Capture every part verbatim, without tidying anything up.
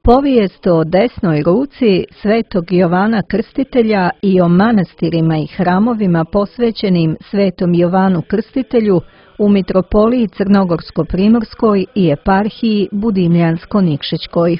Povijest o desnoj ruci svetog Jovana Krstitelja i o manastirima i hramovima posvećenim svetom Jovanu Krstitelju u mitropoliji Crnogorsko-primorskoj i eparhiji Budimljansko-Nikšićkoj.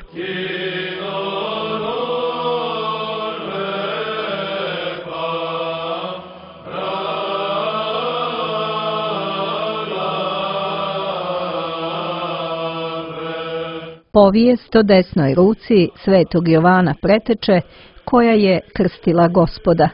Povijest o desnoj ruci svetog Jovana Preteče, koja je krstila Gospoda.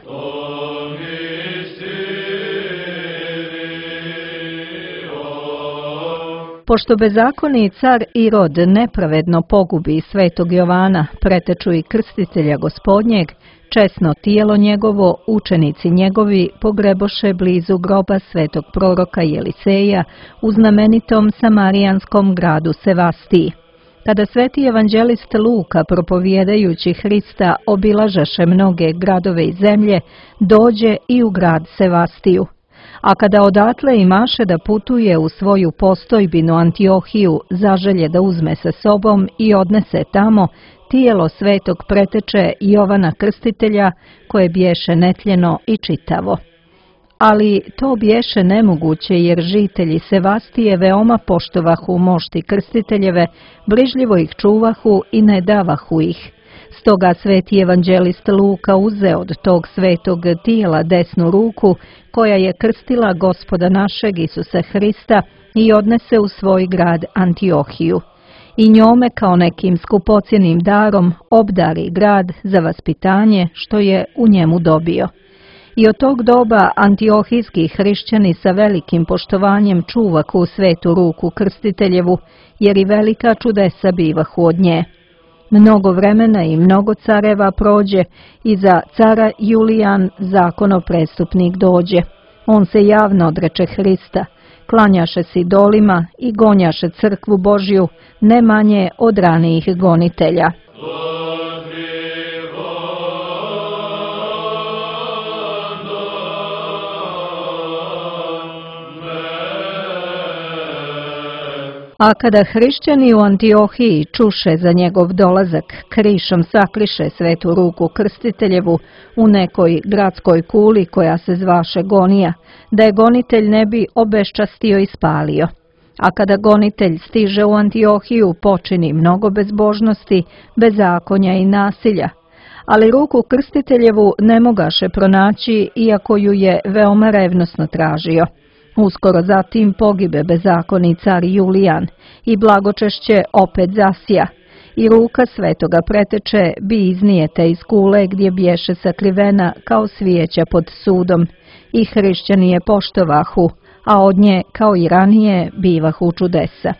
Pošto bezakoni car Irod nepravedno pogubi svetog Jovana, Preteču i krstitelja Gospodnjeg, česno tijelo njegovo učenici njegovi pogreboše blizu groba svetog proroka Jeliseja u znamenitom samarijanskom gradu Sevastiji. Kada sveti evanđelist Luka, propovjedajući Hrista, obilažaše mnoge gradove i zemlje, dođe i u grad Sevastiju. A kada odatle imaše da putuje u svoju postojbinu Antiohiju, zaželje da uzme sa sobom i odnese tamo tijelo svetog Preteče Jovana Krstitelja, koje bješe netljeno i čitavo. Ali to bješe nemoguće, jer žitelji Sevastije veoma poštovahu mošti krstiteljeve, brižljivo ih čuvahu i ne davahu ih. Stoga sveti evanđelist Luka uze od tog svetog tijela desnu ruku, koja je krstila Gospoda našeg Isusa Hrista, i odnese u svoj grad Antiohiju. I njome kao nekim skupocjenim darom obdari grad za vaspitanje što je u njemu dobio. I od tog doba antiohijski hrišćani sa velikim poštovanjem čuvahu svetu ruku krstiteljevu, jer i velika čudesa bivahu od nje. Mnogo vremena i mnogo careva prođe i za cara Julijan zakonoprestupnik dođe. On se javno odreče Hrista, klanjaše se idolima i gonjaše crkvu Božju, ne manje od ranijih gonitelja. A kada hrišćani u Antiohiji čuše za njegov dolazak, krišom sakriše svetu ruku krstiteljevu u nekoj gradskoj kuli koja se zvaše Gonija, da je gonitelj ne bi obeščastio i spalio. A kada gonitelj stiže u Antiohiju, počini mnogo bezbožnosti, bezakonja i nasilja. Ali ruku krstiteljevu ne mogaše pronaći, iako ju je veoma revnosno tražio. Uskoro zatim pogibe bezakoni car Julijan i blagočešće opet zasija, i ruka svetoga Preteče bi iznijete iz kule gdje bješe sakrivena kao svijeća pod sudom, i hrišćani je poštovahu, a od nje kao i ranije bivahu čudesa.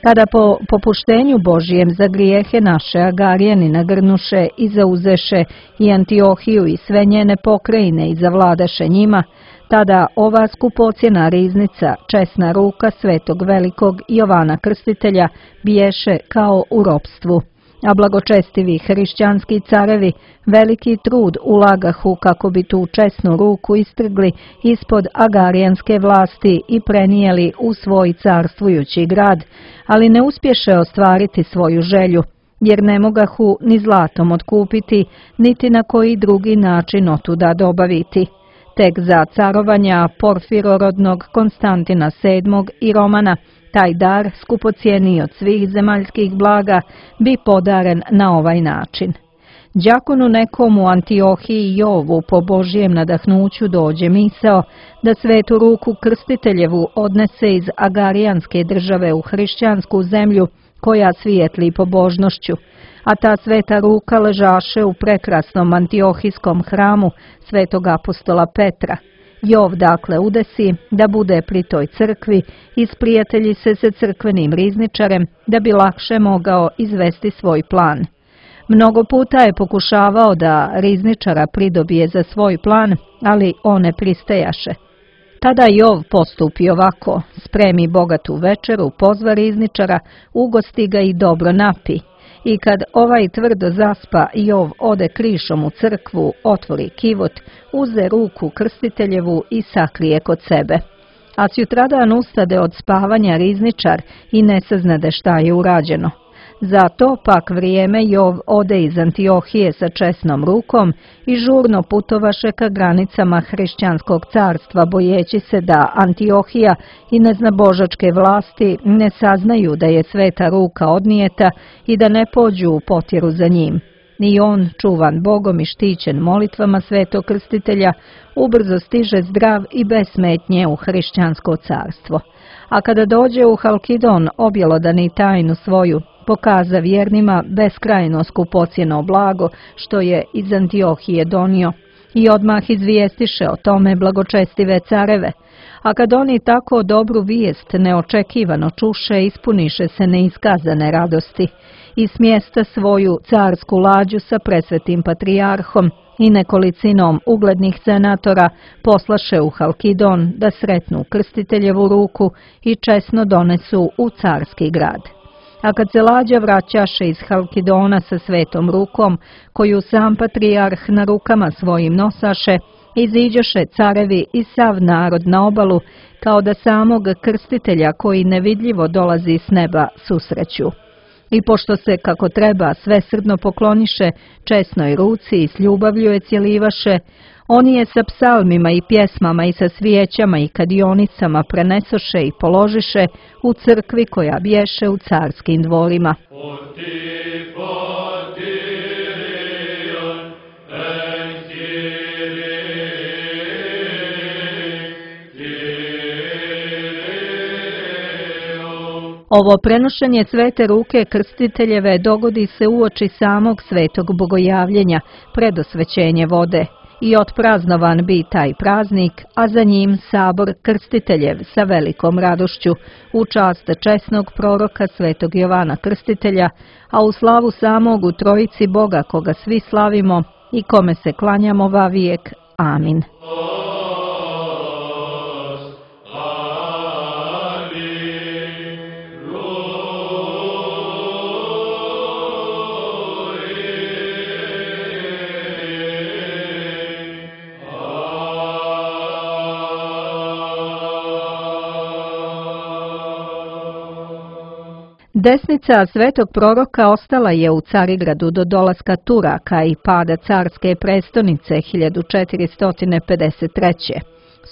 Kada po popuštenju Božijem za grijehe naše Agarijani nagrnuše i zauzeše i Antiohiju i sve njene pokrajine i zavladaše njima, tada ova skupocjena riznica, česna ruka svetog velikog Jovana Krstitelja, biješe kao u ropstvu. A blagočestivi hrišćanski carevi veliki trud ulagahu kako bi tu česnu ruku istrgli ispod agarijanske vlasti i prenijeli u svoj carstvujući grad, ali ne uspješe ostvariti svoju želju, jer ne mogahu ni zlatom otkupiti, niti na koji drugi način otuda dobaviti. Tek za carovanja Porfirorodnog Konstantina sedmog i Romana taj dar, skupocijeniji od svih zemaljskih blaga, bi podaren na ovaj način. Đakonu nekom u Antiohiji Jovu po Božijem nadahnuću dođe misao da svetu ruku krstiteljevu odnese iz agarijanske države u hrišćansku zemlju koja svijetli pobožnošću, a ta sveta ruka ležaše u prekrasnom antiohijskom hramu svetog apostola Petra. Jov dakle udesi da bude pri toj crkvi i sprijatelji se sa crkvenim rizničarem da bi lakše mogao izvesti svoj plan. Mnogo puta je pokušavao da rizničara pridobije za svoj plan, ali on ne pristajaše. Tada Jov postupi ovako: spremi bogatu večeru, pozva rizničara, ugosti ga i dobro napi. I kad ovaj tvrdo zaspa, Jov ode krišom u crkvu, otvori kivot, uze ruku krstiteljevu i sakrije kod sebe. A sutradan ustade od spavanja rizničar i ne saznade šta je urađeno. Za to pak vrijeme Jov ode iz Antiohije sa česnom rukom i žurno putovaše ka granicama hrišćanskog carstva, bojeći se da Antiohija i neznabožačke vlasti ne saznaju da je sveta ruka odnijeta i da ne pođu u potjeru za njim. Ni on, čuvan Bogom i štićen molitvama Svetog Krstitelja, ubrzo stiže zdrav i bez smetnje u hrišćansko carstvo. A kada dođe u Halkidon, objelodani tajnu svoju, pokaza vjernima beskrajno skupocjeno blago što je iz Antiohije donio i odmah izvijestiše o tome blagočestive careve. A kad oni tako dobru vijest neočekivano čuše, ispuniše se neiskazane radosti i smjesta svoju carsku lađu sa presvetim patrijarhom i nekolicinom uglednih senatora poslaše u Halkidon da sretnu Krstiteljevu ruku i česno donesu u carski grad. A kad se lađa vraćaše iz Halkidona sa svetom rukom, koju sam patrijarh na rukama svojim nosaše, iziđoše carevi i sav narod na obalu, kao da samog Krstitelja koji nevidljivo dolazi s neba susreću. I pošto se kako treba svesrdno pokloniše česnoj ruci i s ljubavlju je cjelivaše, oni je sa psalmima i pjesmama i sa svijećama i kadionicama prenesoše i položiše u crkvi koja bješe u carskim dvorima. Ovo prenošenje svete ruke Krstiteljeve dogodi se uoči samog svetog bogojavljenja, predosvećenje vode, i otpraznovan bi taj praznik, a za njim sabor Krstiteljev sa velikom radošću, u čast česnog proroka svetog Jovana Krstitelja, a u slavu samog u Trojici Boga koga svi slavimo i kome se klanjamo vavijek. Amin. Desnica svetog proroka ostala je u Carigradu do dolaska Turaka i pada carske prestonice hiljadu četiristo pedeset treće.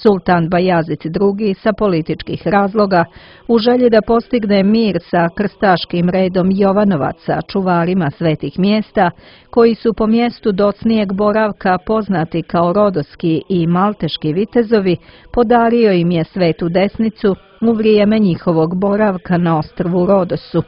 Sultan Bajazid drugi sa političkih razloga, u želji da postigne mir sa krstaškim redom Jovanovaca, čuvarima svetih mjesta, koji su po mjestu docnijeg boravka poznati kao rodoski i malteški vitezovi, podario im je svetu desnicu u vrijeme njihovog boravka na ostrvu Rodosu.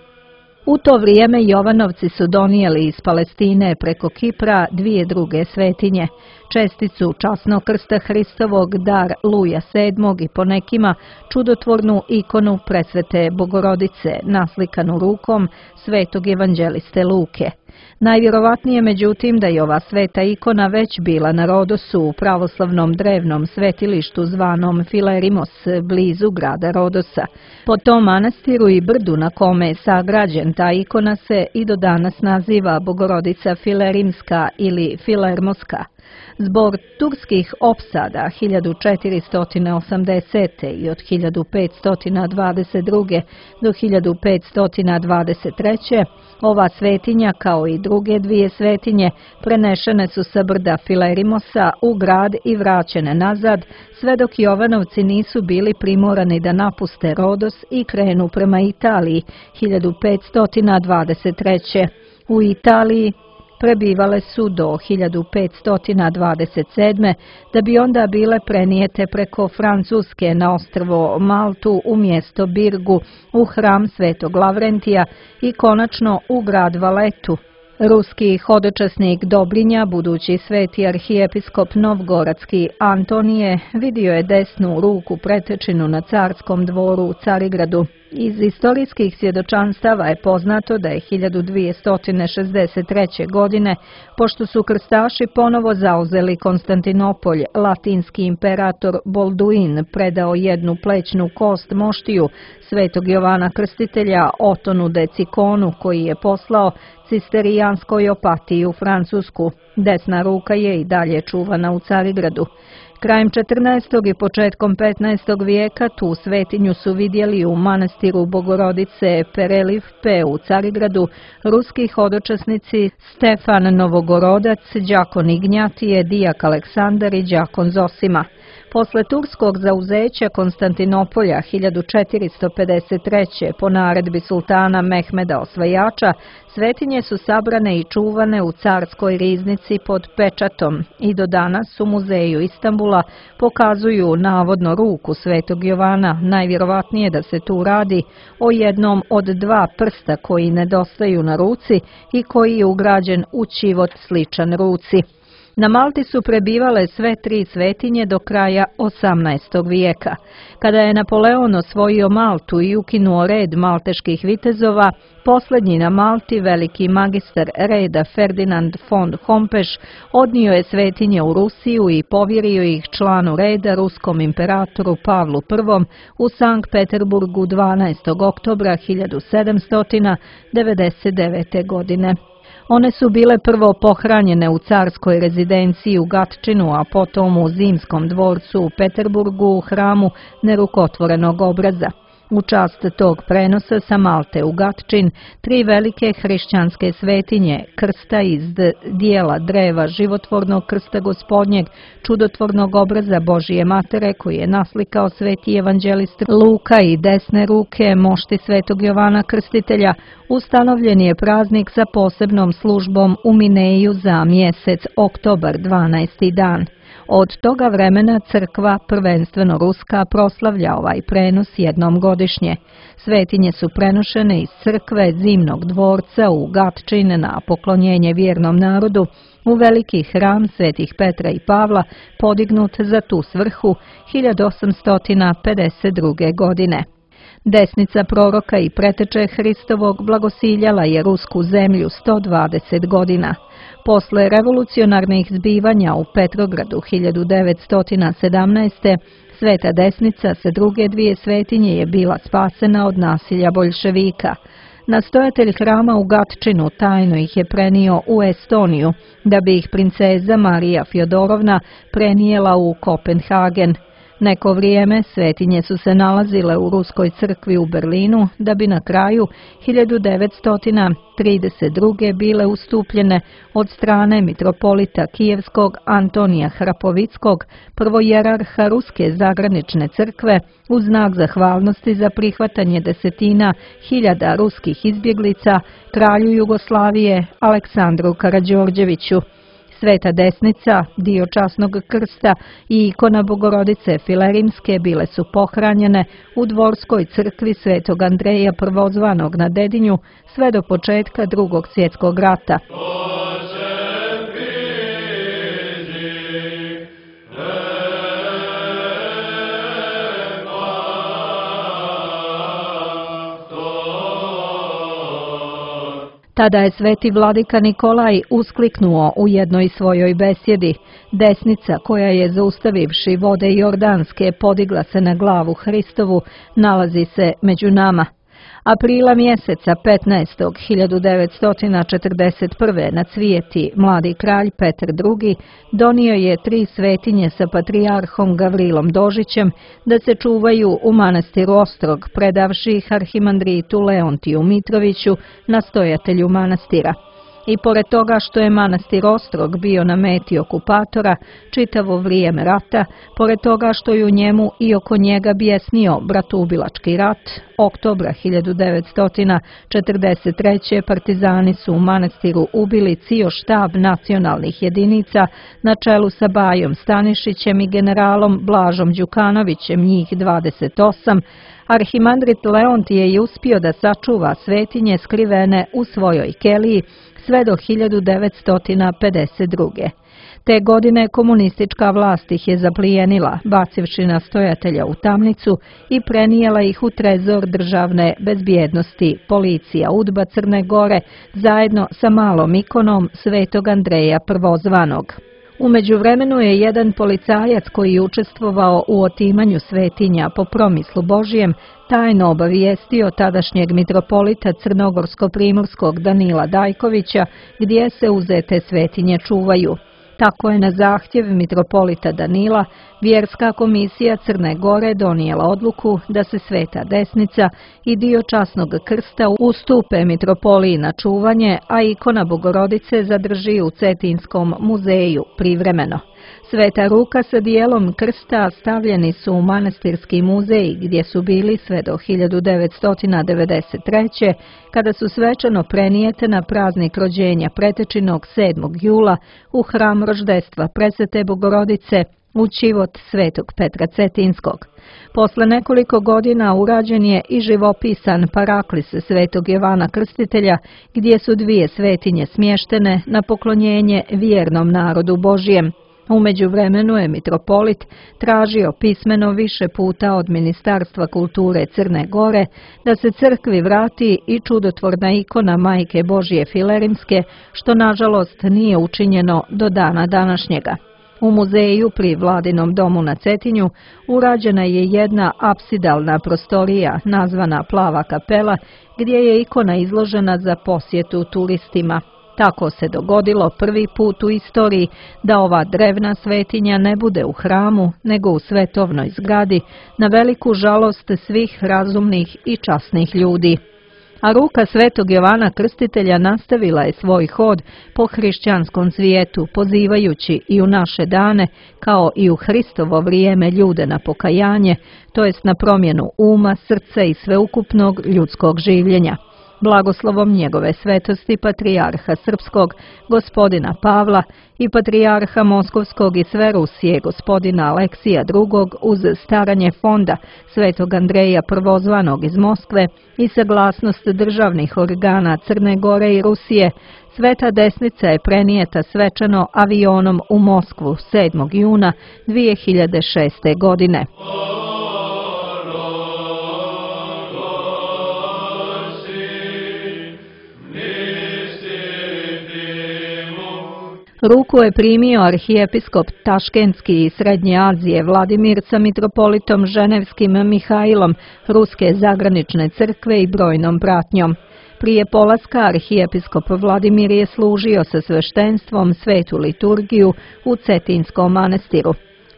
U to vrijeme Jovanovci su donijeli iz Palestine preko Kipra dvije druge svetinje, česticu časnog krsta Hristovog, dar Luja sedmog i po nekima čudotvornu ikonu presvete Bogorodice naslikanu rukom svetog evanđeliste Luke. Najvjerovatnije međutim da je ova sveta ikona već bila na Rodosu u pravoslavnom drevnom svetilištu zvanom Filerimos blizu grada Rodosa. Po tom manastiru i brdu na kome je sagrađen ta ikona se i do danas naziva Bogorodica Filerimska ili Filermoska. Zbog turskih opsada hiljadu četiristo osamdesete. i od hiljadu petsto dvadeset druge. do hiljadu petsto dvadeset treće. ova svetinja kao i druge dvije svetinje prenešene su sa brda Filerimosa u grad i vraćene nazad, sve dok Jovanovci nisu bili primorani da napuste Rodos i krenu prema Italiji hiljadu petsto dvadeset treće. U Italiji prebivale su do hiljadu petsto dvadeset sedme. da bi onda bile prenijete preko Francuske na ostrvo Maltu u mjesto Birgu, u hram svetog Lavrentija i konačno u grad Valetu. Ruski hodočasnik Dobrinja, budući sveti arhijepiskop Novgoradski Antonije, vidio je desnu ruku pretečinu na carskom dvoru u Carigradu. Iz istorijskih svjedočanstava je poznato da je hiljadu dvjesto šezdeset treće. godine, pošto su krstaši ponovo zauzeli Konstantinopolj, latinski imperator Bolduin predao jednu plećnu kost moštiju svetog Jovana Krstitelja Otonu Decikonu, koji je poslao Cisterijanskoj opatiji u Francusku. Desna ruka je i dalje čuvana u Carigradu. Krajem četrnaestog i početkom petnaestog vijeka tu svetinju su vidjeli u manastiru Bogorodice Perelivpe u Carigradu ruski hodočasnici Stefan Novogorodac, đakon Ignjatije, dijak Aleksandar i đakon Zosima. Posle turskog zauzeća Konstantinopolja hiljadu četiristo pedeset treće. po naredbi sultana Mehmeda Osvajača, svetinje su sabrane i čuvane u carskoj riznici pod pečatom i do danas u muzeju Istanbula pokazuju navodno ruku svetog Jovana, najvjerovatnije da se tu radi o jednom od dva prsta koji nedostaju na ruci i koji je ugrađen u ćivot sličan ruci. Na Malti su prebivale sve tri svetinje do kraja osamnaestog vijeka. Kada je Napoleon osvojio Maltu i ukinuo red malteških vitezova, posljednji na Malti, veliki magistar reda Ferdinand von Hompesch, odnio je svetinje u Rusiju i povjerio ih članu reda, ruskom imperatoru Pavlu Prvom u Sankt Peterburgu dvanaestog oktobra hiljadu sedamsto devedeset devete. godine. One su bile prvo pohranjene u carskoj rezidenciji u Gatčinu, a potom u Zimskom dvorcu u Peterburgu u hramu nerukotvorenog obraza. U čast tog prenosa sa Malte u Gatčin, tri velike hrišćanske svetinje, krsta iz dijela dreva životvornog krsta gospodnjeg, čudotvornog obraza Božije matere koji je naslikao sveti evanđelist Luka i desne ruke mošti svetog Jovana Krstitelja, ustanovljen je praznik sa posebnom službom u Mineju za mjesec oktobar, dvanaesti dan. Od toga vremena crkva, prvenstveno ruska, proslavlja ovaj prenos jednom godišnje. Svetinje su prenošene iz crkve Zimnog dvorca u Gatčin na poklonjenje vjernom narodu u veliki hram svetih Petra i Pavla, podignut za tu svrhu hiljadu osamsto pedeset druge. godine. Desnica proroka i preteče Hristovog blagosiljala je rusku zemlju sto dvadeset godina. Posle revolucionarnih zbivanja u Petrogradu hiljadu devetsto sedamnaeste. Sveta desnica sa druge dvije svetinje je bila spasena od nasilja boljševika. Nastojatelj hrama u Gatčinu tajno ih je prenio u Estoniju, da bi ih princeza Marija Fjodorovna prenijela u Kopenhagen. Neko vrijeme svetinje su se nalazile u ruskoj crkvi u Berlinu, da bi na kraju hiljadu devetsto trideset druge. bile ustupljene od strane mitropolita Kijevskog Antonija Hrapovickog, prvojerarha Ruske zagranične crkve, u znak zahvalnosti za prihvatanje desetina hiljada ruskih izbjeglica, kralju Jugoslavije Aleksandru Karađorđeviću. Sveta desnica, dio časnog krsta i ikona Bogorodice Filerimske bile su pohranjene u dvorskoj crkvi svetog Andreja Prvozvanog na Dedinju sve do početka drugog svjetskog rata. Tada je sveti vladika Nikolaj uskliknuo u jednoj svojoj besjedi: desnica koja je, zaustavivši vode Jordanske, podigla se na glavu Hristovu, nalazi se među nama. Aprila mjeseca petnaestog hiljadu devetsto četrdeset prve. na cvijeti mladi kralj Petar drugi. donio je tri svetinje sa patrijarhom Gavrilom Dožićem da se čuvaju u manastiru Ostrog, predavši ih arhimandritu Leontiju Mitroviću, nastojatelju manastira. I pored toga što je manastir Ostrog bio na meti okupatora čitavo vrijeme rata, pored toga što je u njemu i oko njega bijesnio bratoubilački rat, oktobra hiljadu devetsto četrdeset treće. partizani su u manastiru ubili cijel štab nacionalnih jedinica na čelu sa Bajom Stanišićem i generalom Blažom Đukanovićem, njih dvadeset osam, arhimandrit Leontije je uspio da sačuva svetinje skrivene u svojoj keliji sve do hiljadu devetsto pedeset druge. Te godine komunistička vlast ih je zaplijenila, bacivši nastojatelja u tamnicu i prenijela ih u trezor državne bezbjednosti, policija UDBA Crne Gore, zajedno sa malom ikonom svetog Andreja Prvozvanog. U međuvremenu je jedan policajac koji je učestvovao u otimanju svetinja po promislu Božijem tajno obavijestio tadašnjeg mitropolita Crnogorsko-primorskog Danila Dajkovića gdje se uzete svetinje čuvaju. Tako je na zahtjev mitropolita Danila Vjerska komisija Crne Gore donijela odluku da se Sveta Desnica i dio časnog krsta ustupe mitropoliji na čuvanje, a ikona Bogorodice zadrži u Cetinskom muzeju privremeno. Sveta ruka sa dijelom krsta stavljeni su u manastirski muzej gdje su bili sve do hiljadu devetsto devedeset treće. kada su svečano prenijete na praznik rođenja Pretečinog sedmog jula u hram roždestva Presvete Bogorodice u Čivot Svetog Petra Cetinskog. Posle nekoliko godina urađen je i živopisan paraklis Svetog Jovana Krstitelja, gdje su dvije svetinje smještene na poklonjenje vjernom narodu Božijem. U međuvremenu je mitropolit tražio pismeno više puta od Ministarstva kulture Crne Gore da se crkvi vrati i čudotvorna ikona Majke Božije Filerimske, što nažalost nije učinjeno do dana današnjega. U muzeju pri Vladinom domu na Cetinju urađena je jedna apsidalna prostorija nazvana Plava kapela, gdje je ikona izložena za posjetu turistima. Tako se dogodilo prvi put u istoriji da ova drevna svetinja ne bude u hramu, nego u svetovnoj zgradi, na veliku žalost svih razumnih i časnih ljudi. A ruka Svetog Jovana Krstitelja nastavila je svoj hod po hrišćanskom svijetu, pozivajući i u naše dane, kao i u Hristovo vrijeme, ljude na pokajanje, to jest na promjenu uma, srca i sveukupnog ljudskog življenja. Blagoslovom njegove svetosti patrijarha Srpskog, gospodina Pavla, i patrijarha Moskovskog i sve Rusije, gospodina Aleksija drugog, uz staranje fonda Svetog Andreja prvozvanog iz Moskve i saglasnost državnih organa Crne Gore i Rusije, Sveta Desnica je prenijeta svečano avionom u Moskvu sedmog juna dvije hiljade šeste. godine. Ruku je primio arhijepiskop Taškentski i Srednje Azije Vladimir sa mitropolitom Ženevskim Mihajlom Ruske zagranične crkve i brojnom pratnjom. Prije polaska arhijepiskop Vladimir je služio sa sveštenstvom svetu liturgiju u Cetinskom manastiru.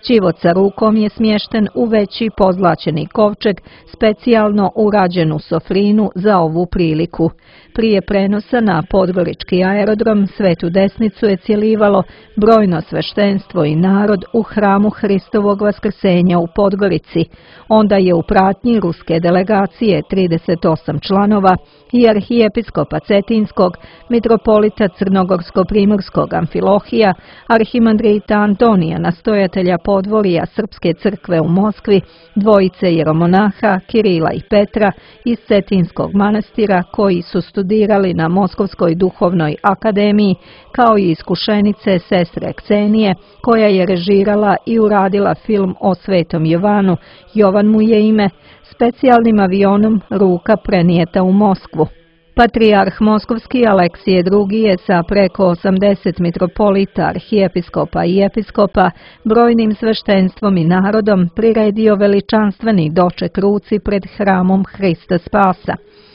Čivot sa rukom je smješten u veći pozlaćeni kovčeg, specijalno urađenu sofrinu za ovu priliku. Prije prenosa na Podgorički aerodrom Svetu Desnicu je cjelivalo brojno sveštenstvo i narod u hramu Hristovog vaskrsenja u Podgorici. Onda je u pratnji ruske delegacije trideset osam članova i arhijepiskopa Cetinskog, mitropolita Crnogorsko-primorskog Amfilohija, arhimandrita Antonija, nastojatelja podvorija Srpske crkve u Moskvi, dvojice jeromonaha Kirila i Petra iz Cetinskog manastira koji su studirali na Moskovskoj duhovnoj akademiji, kao i iskušenice sestre Ksenije, koja je režirala i uradila film o Svetom Jovanu, Jovan mu je ime, specijalnim avionom ruka prenijeta u Moskvu. Patrijarh Moskovski Aleksije drugi je sa preko osamdeset mitropolita, arhijepiskopa i episkopa, brojnim sveštenstvom i narodom priredio veličanstveni doček ruci pred hramom Hrista Spasa.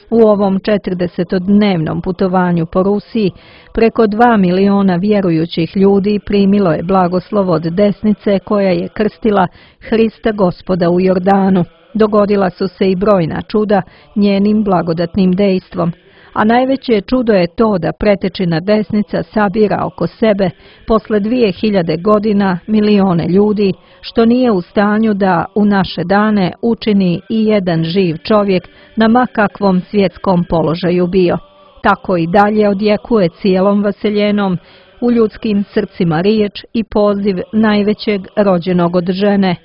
U ovom četrdesetodnevnom putovanju po Rusiji preko dva miliona vjerujućih ljudi primilo je blagoslov od desnice koja je krstila Hrista Gospoda u Jordanu. Dogodila su se i brojna čuda njenim blagodatnim dejstvom. A najveće čudo je to da pretečina desnica sabira oko sebe posle dvije hiljade godina milione ljudi, što nije u stanju da u naše dane učini i jedan živ čovjek na ma kakvom svjetskom položaju bio. Tako i dalje odjekuje cijelom vaseljenom u ljudskim srcima riječ i poziv najvećeg rođenog od žene: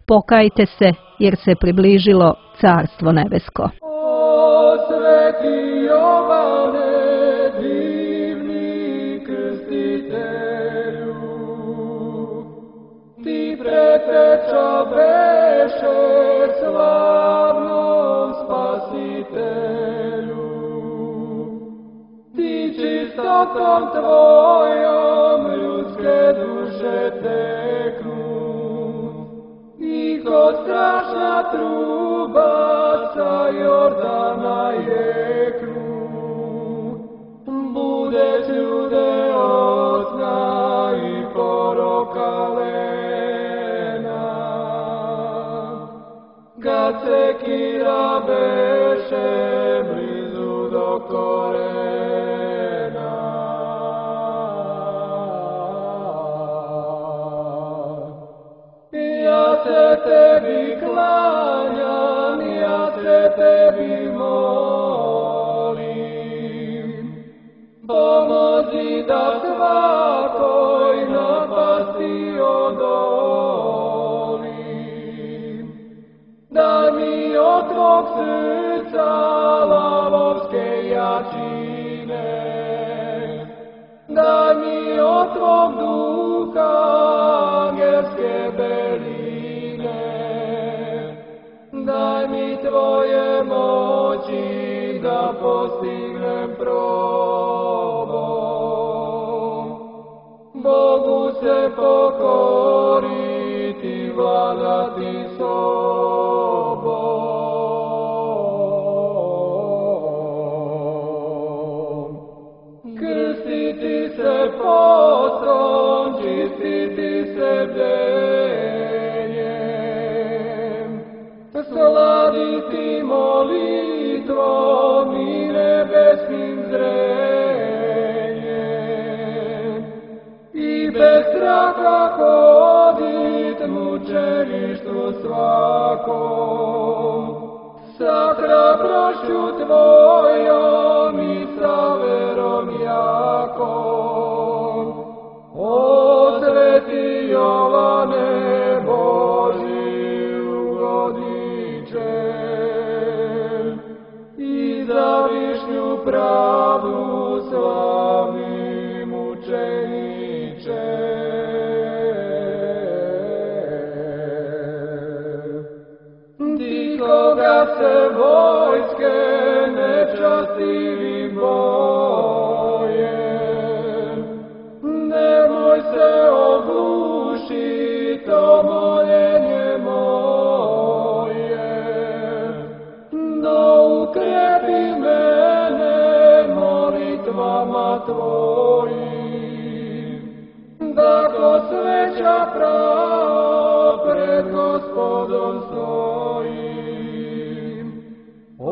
pokajte se, jer se približilo Carstvo nebesko. O sveti Jovane, divni krstitelju, ti preteča beše slavnom spasitelju, ti čistotom tvojom ljudske duše teknu, i ko strašna truba sa Jordana jeknu, budeš ljude od sna i po sekira beše blizu do korena. Ja se tebi klanjam, ja se tebi molim, pomozi da svakoj napasti odolim. Daj mi od tvog srca lavovske jačine, daj mi od tvog duha angelske beline, daj mi tvoje moći da postignem probom. Bogu se pokoriti, vladati sobom. Krstiti se postrom, čistiti se bdenjem, sladiti molitvom i nebeskim zrenjem, i bez straha hodit mučeništvu svakom, sa hrabrošću tvojom i sa verom jakom. O sveti Jovane Božji ugodiče, i za višnju pravdu slavni mučeniče. Ti koga se vojske nečastivim boje, nemoj se ogluši to moljenje moje, no ukrepi mene molitvama tvojim, da ko sveća pravo pred Gospodom stojim. O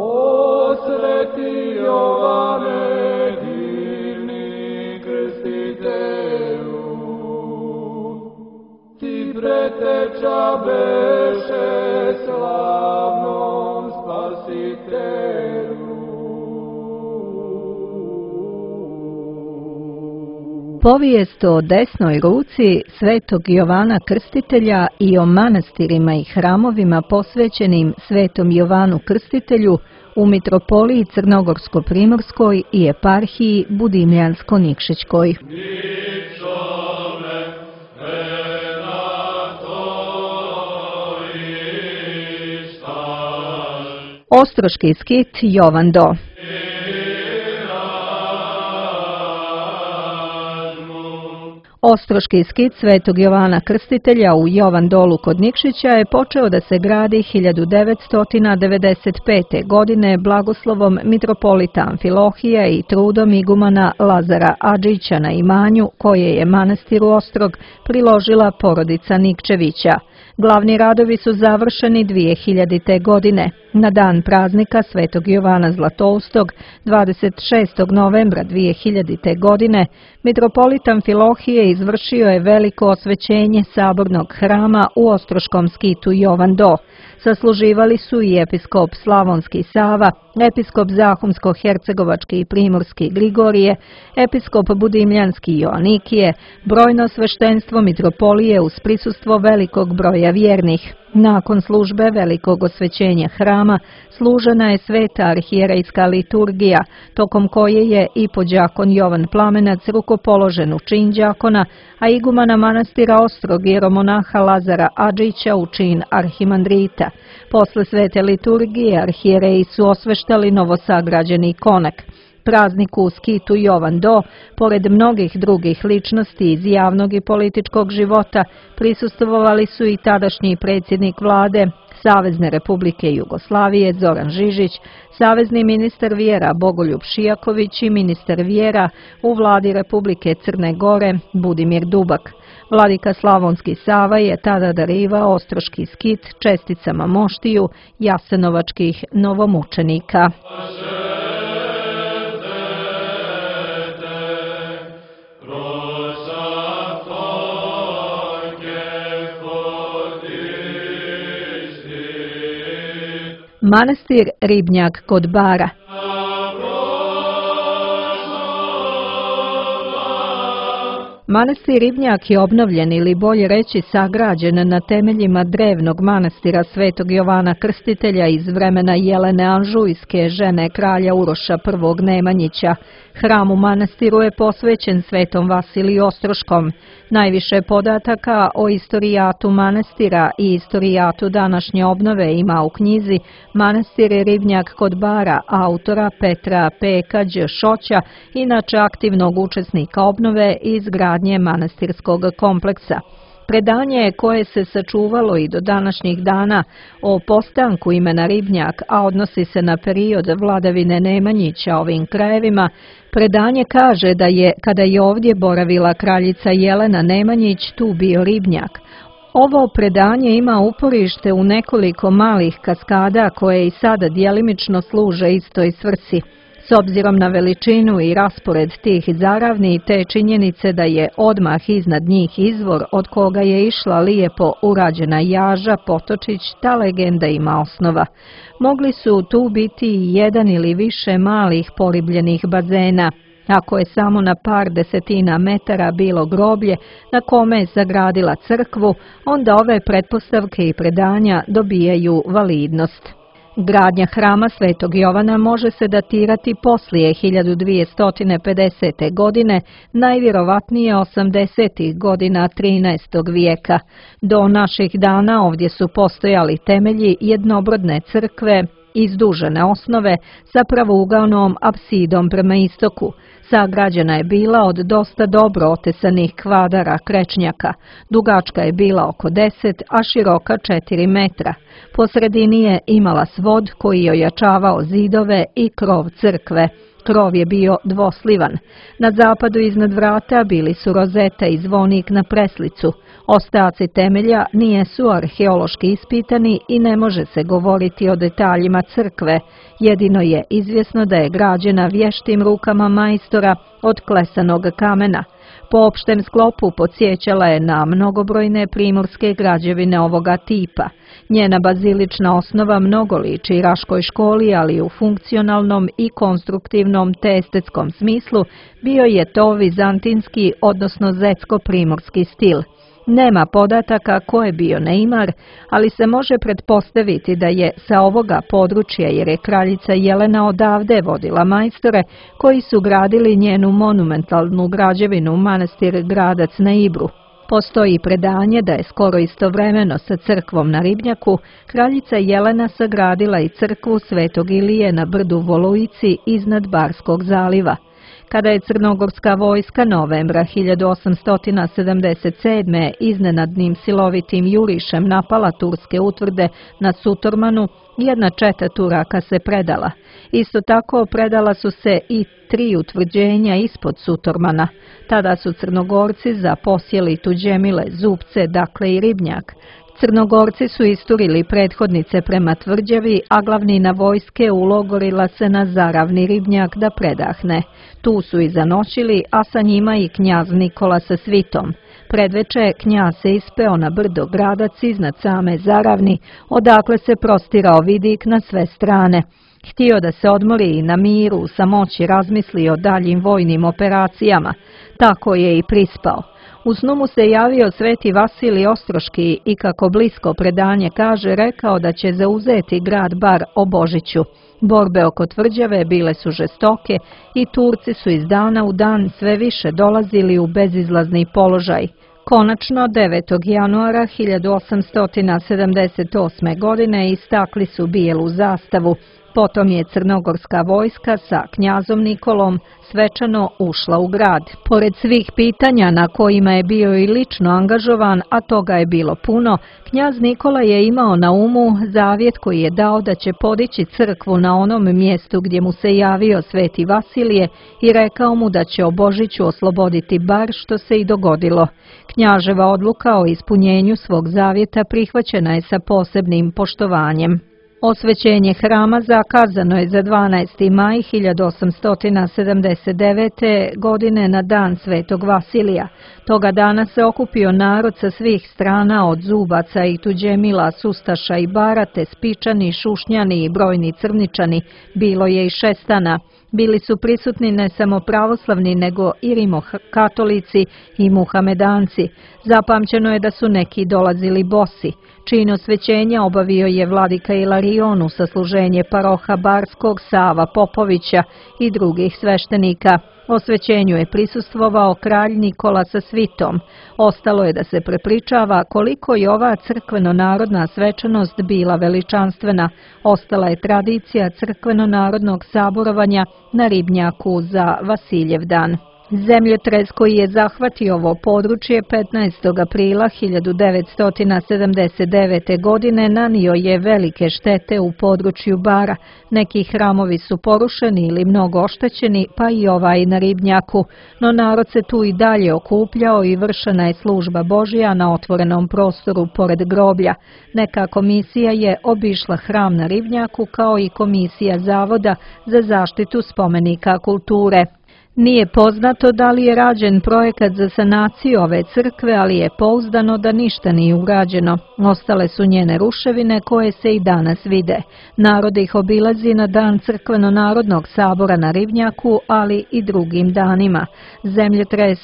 sveti Jovane, divni krstitelju, ti preteča beše slavnom Spasitelju. Povijest o desnoj ruci svetog Jovana Krstitelja i o manastirima i hramovima posvećenim svetom Jovanu Krstitelju u mitropoliji Crnogorsko-primorskoj i eparhiji Budimljansko-Nikšićkoj. Ostroški skit Jovan Do. Ostroški skit svetog Jovana Krstitelja u Jovan Dolu kod Nikšića je počeo da se gradi hiljadu devetsto devedeset pete. godine blagoslovom mitropolita Amfilohija i trudom igumana Lazara Adžića na imanju koje je manastiru Ostrog priložila porodica Nikčevića. Glavni radovi su završeni dvije hiljadite. godine. Na dan praznika svetog Jovana Zlatoustog, dvadeset šestog novembra dvije hiljadite. godine, mitropolit Amfilohije izvršio je veliko osvećenje sabornog hrama u Ostroškom skitu Jovan Do. Sasluživali su i episkop Slavonski Sava, episkop Zahumsko-hercegovački i primorski Grigorije, episkop Budimljanski Joanikije, brojno sveštenstvo mitropolije uz prisustvo velikog broja vjernih. Nakon službe velikog osvećenja hrama služena je sveta arhijerejska liturgija, tokom koje je i podđakon Jovan Plamenac rukopoložen u čin đakona, a igumana manastira Ostrog jeromonaha Lazara Adžića u čin arhimandrita. Posle svete liturgije arhijereji su osveštali novosagrađeni konak. Prazniku u skitu Jovan Do, pored mnogih drugih ličnosti iz javnog i političkog života, prisustvovali su i tadašnji predsjednik vlade, Savezne Republike Jugoslavije Zoran Žižić, savezni ministar vjera Bogoljub Šijaković i ministar vjera u vladi Republike Crne Gore Budimir Dubak. Vladika Slavonski Sava je tada darivao ostroški skit česticama moštiju jasenovačkih novomučenika. Manastir Ribnjak kod Bara. Manastir Ribnjak je obnovljen ili bolje reći sagrađen na temeljima drevnog manastira Svetog Jovana Krstitelja iz vremena Jelene Anžujske, žene kralja Uroša I. Nemanjića. Hram u manastiru je posvećen Svetom Vasiliju Ostroškom. Najviše podataka o istorijatu manastira i istorijatu današnje obnove ima u knjizi Manastir Ribnjak kod Bara autora Petra Peka Đ. inače aktivnog učesnika obnove i izgradnje manastirskog kompleksa. Predanje koje se sačuvalo i do današnjih dana o postanku imena Ribnjak, a odnosi se na period vladavine Nemanjića ovim krajevima, predanje kaže da je, kada je ovdje boravila kraljica Jelena Nemanjić, tu bio Ribnjak. Ovo predanje ima uporište u nekoliko malih kaskada koje i sada djelimično služe istoj svrsi. S obzirom na veličinu i raspored tih zaravni te činjenice da je odmah iznad njih izvor od koga je išla lijepo urađena jaža, potočić, ta legenda ima osnova. Mogli su tu biti i jedan ili više malih poribljenih bazena. Ako je samo na par desetina metara bilo groblje na kome je sagradila crkvu, onda ove pretpostavke i predanja dobijaju validnost. Gradnja hrama Svetog Jovana može se datirati poslije hiljadu dvjesto pedesete. godine, najvjerovatnije osamdesetih godina trinaestog vijeka. Do naših dana ovdje su postojali temelji jednobrodne crkve, izdužene osnove sa pravougalnom apsidom prema istoku. Sagrađena je bila od dosta dobro otesanih kvadara krečnjaka. Dugačka je bila oko deset, a široka četiri metra. Po sredini je imala svod koji je ojačavao zidove i krov crkve. Krov je bio dvoslivan. Na zapadu iznad vrata bili su rozeta i zvonik na preslicu. Ostaci temelja nijesu arheološki ispitani i ne može se govoriti o detaljima crkve. Jedino je izvjesno da je građena vještim rukama majstora od klesanog kamena. Po opštem sklopu podsjećala je na mnogobrojne primorske građevine ovoga tipa. Njena bazilična osnova mnogo liči Raškoj školi, ali u funkcionalnom i konstruktivnom te estetskom smislu bio je to vizantinski, odnosno zetsko-primorski stil. Nema podataka ko je bio neimar, ali se može pretpostaviti da je sa ovoga područja, jer je kraljica Jelena odavde vodila majstore koji su gradili njenu monumentalnu građevinu manastir Gradac na Ibru. Postoji predanje da je skoro istovremeno sa crkvom na Ribnjaku kraljica Jelena sagradila i crkvu Svetog Ilije na brdu Volujici iznad Barskog zaliva. Kada je crnogorska vojska novembra hiljadu osamsto sedamdeset sedme. iznenadnim silovitim jurišem napala turske utvrde na Sutormanu, jedna četa Turaka se predala. Isto tako predala su se i tri utvrđenja ispod Sutormana. Tada su Crnogorci zaposjeli Tuđemile, Zupce, dakle i Ribnjak. Crnogorci su isturili prethodnice prema tvrđavi, a glavnina vojske ulogorila se na zaravni Ribnjak da predahne. Tu su i zanoćili, a sa njima i knjaz Nikola sa svitom. Predveče knjaz se ispeo na brdo Gradac iznad same zaravni, odakle se prostirao vidik na sve strane. Htio da se odmori i na miru, u samoći razmisli o daljim vojnim operacijama. Tako je i prispao. U snu mu se javio sveti Vasilij Ostroški i, kako blisko predanje kaže, rekao da će zauzeti grad Bar o Božiću. Borbe oko tvrđave bile su žestoke i Turci su iz dana u dan sve više dolazili u bezizlazni položaj. Konačno, devetog januara hiljadu osamsto sedamdeset osme. godine istakli su bijelu zastavu. Potom je crnogorska vojska sa knjazom Nikolom svečano ušla u grad. Pored svih pitanja na kojima je bio i lično angažovan, a toga je bilo puno, knjaz Nikola je imao na umu zavjet koji je dao da će podići crkvu na onom mjestu gdje mu se javio sveti Vasilije i rekao mu da će o Božiću osloboditi bar, što se i dogodilo. Knjaževa odluka o ispunjenju svog zavjeta prihvaćena je sa posebnim poštovanjem. Osvećenje hrama zakazano je za dvanaesti maj hiljadu osamsto sedamdeset devete. godine na dan svetog Vasilija. Toga dana se okupio narod sa svih strana, od Zubaca i Tuđemila, Sustaša i Barate, Spičani, Šušnjani i brojni Crničani. Bilo je i Šestana. Bili su prisutni ne samo pravoslavni, nego i rimokatolici i muhamedanci. Zapamćeno je da su neki dolazili bosi. Čin osvećenja obavio je vladika Ilarion uz sasluženje paroha Barskog, Sava Popovića i drugih sveštenika. Osvećenju je prisustvovao kralj Nikola sa svitom. Ostalo je da se prepričava koliko je ova crkveno-narodna svečanost bila veličanstvena. Ostala je tradicija crkveno-narodnog saborovanja na Ribnjaku za Vasiljev dan. Zemljotres koji je zahvatio ovo područje petnaestog aprila hiljadu devetsto sedamdeset devete. godine nanio je velike štete u području Bara. Neki hramovi su porušeni ili mnogo oštećeni, pa i ovaj na Ribnjaku, no narod se tu i dalje okupljao i vršena je služba Božja na otvorenom prostoru pored groblja. Neka komisija je obišla hram na Ribnjaku, kao i komisija Zavoda za zaštitu spomenika kulture. Nije poznato da li je rađen projekat za sanaciju ove crkve, ali je pouzdano da ništa nije urađeno. Ostale su njene ruševine koje se i danas vide. Narod ih obilazi na dan crkveno-narodnog sabora na Ribnjaku, ali i drugim danima. Zemljotres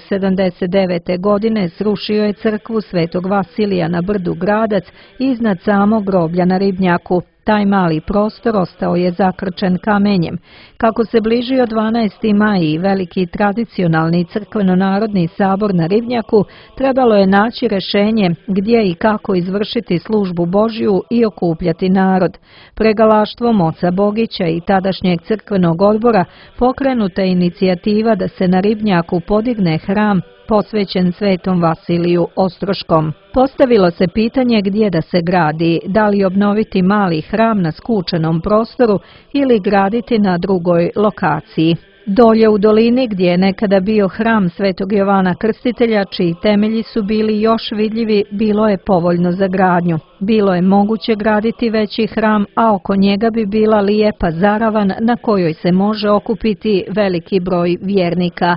sedamdeset devete. godine srušio je crkvu svetog Vasilija na brdu Gradac iznad samog groblja na Ribnjaku. Taj mali prostor ostao je zakrčen kamenjem. Kako se bližio dvanaesti maj i veliki tradicionalni crkveno-narodni sabor na Ribnjaku, trebalo je naći rešenje gdje i kako izvršiti službu Božju i okupljati narod. Pregalaštvom oca Bogića i tadašnjeg crkvenog odbora pokrenuta je inicijativa da se na Ribnjaku podigne hram posvećen svetom Vasiliju Ostroškom. Postavilo se pitanje gdje da se gradi, da li obnoviti mali hram na skučenom prostoru ili graditi na drugoj lokaciji. Dolje u dolini, gdje je nekada bio hram svetog Jovana Krstitelja, čiji temelji su bili još vidljivi, bilo je povoljno za gradnju. Bilo je moguće graditi veći hram, a oko njega bi bila lijepa zaravan na kojoj se može okupiti veliki broj vjernika.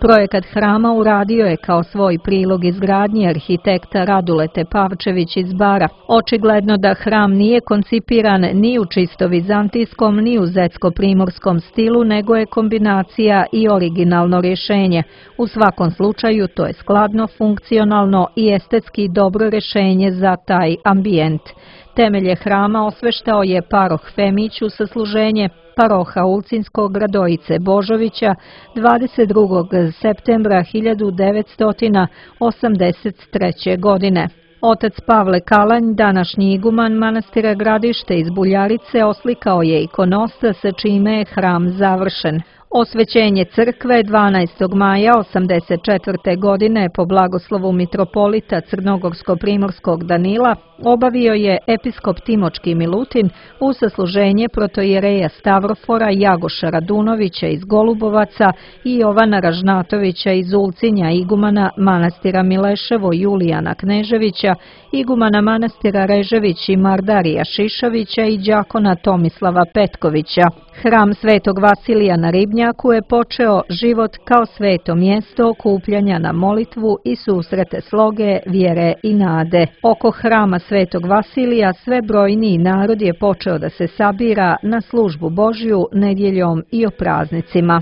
Projekat hrama uradio je kao svoj prilog izgradnje arhitekta Radule Tepavčević iz Bara. Očigledno da hram nije koncipiran ni u čisto vizantijskom ni u zetsko-primorskom stilu, nego je kombinacija i originalno rješenje. U svakom slučaju to je skladno, funkcionalno i estetski dobro rješenje za taj ambijent. Temelje hrama osveštao je paroh Femić uz sasluženje paroha Ulcinskog Radojice Božovića dvadeset drugog septembra hiljadu devetsto osamdeset treće. godine. Otac Pavle Kalanj, današnji iguman manastira Gradište iz Buljarice, oslikao je ikonostas sa čime je hram završen. Osvećenje crkve dvanaestog maja osamdeset četvrte. godine po blagoslovu mitropolita Crnogorsko-primorskog Danila obavio je episkop Timočki Milutin uz sasluženje protoijereja Stavrofora Jagoša Radunovića iz Golubovaca i Jovana Ražnatovića iz Ulcinja, igumana manastira Mileševo Julijana Kneževića, igumana manastira Režević i Mardarija Šišovića i đakona Tomislava Petkovića. Hram svetog Vasilija na Ribnjaku je počeo život kao sveto mjesto okupljanja na molitvu i susrete sloge, vjere i nade. Oko hrama svetog Vasilija sve brojniji narod je počeo da se sabira na službu Božju nedjeljom i o praznicima.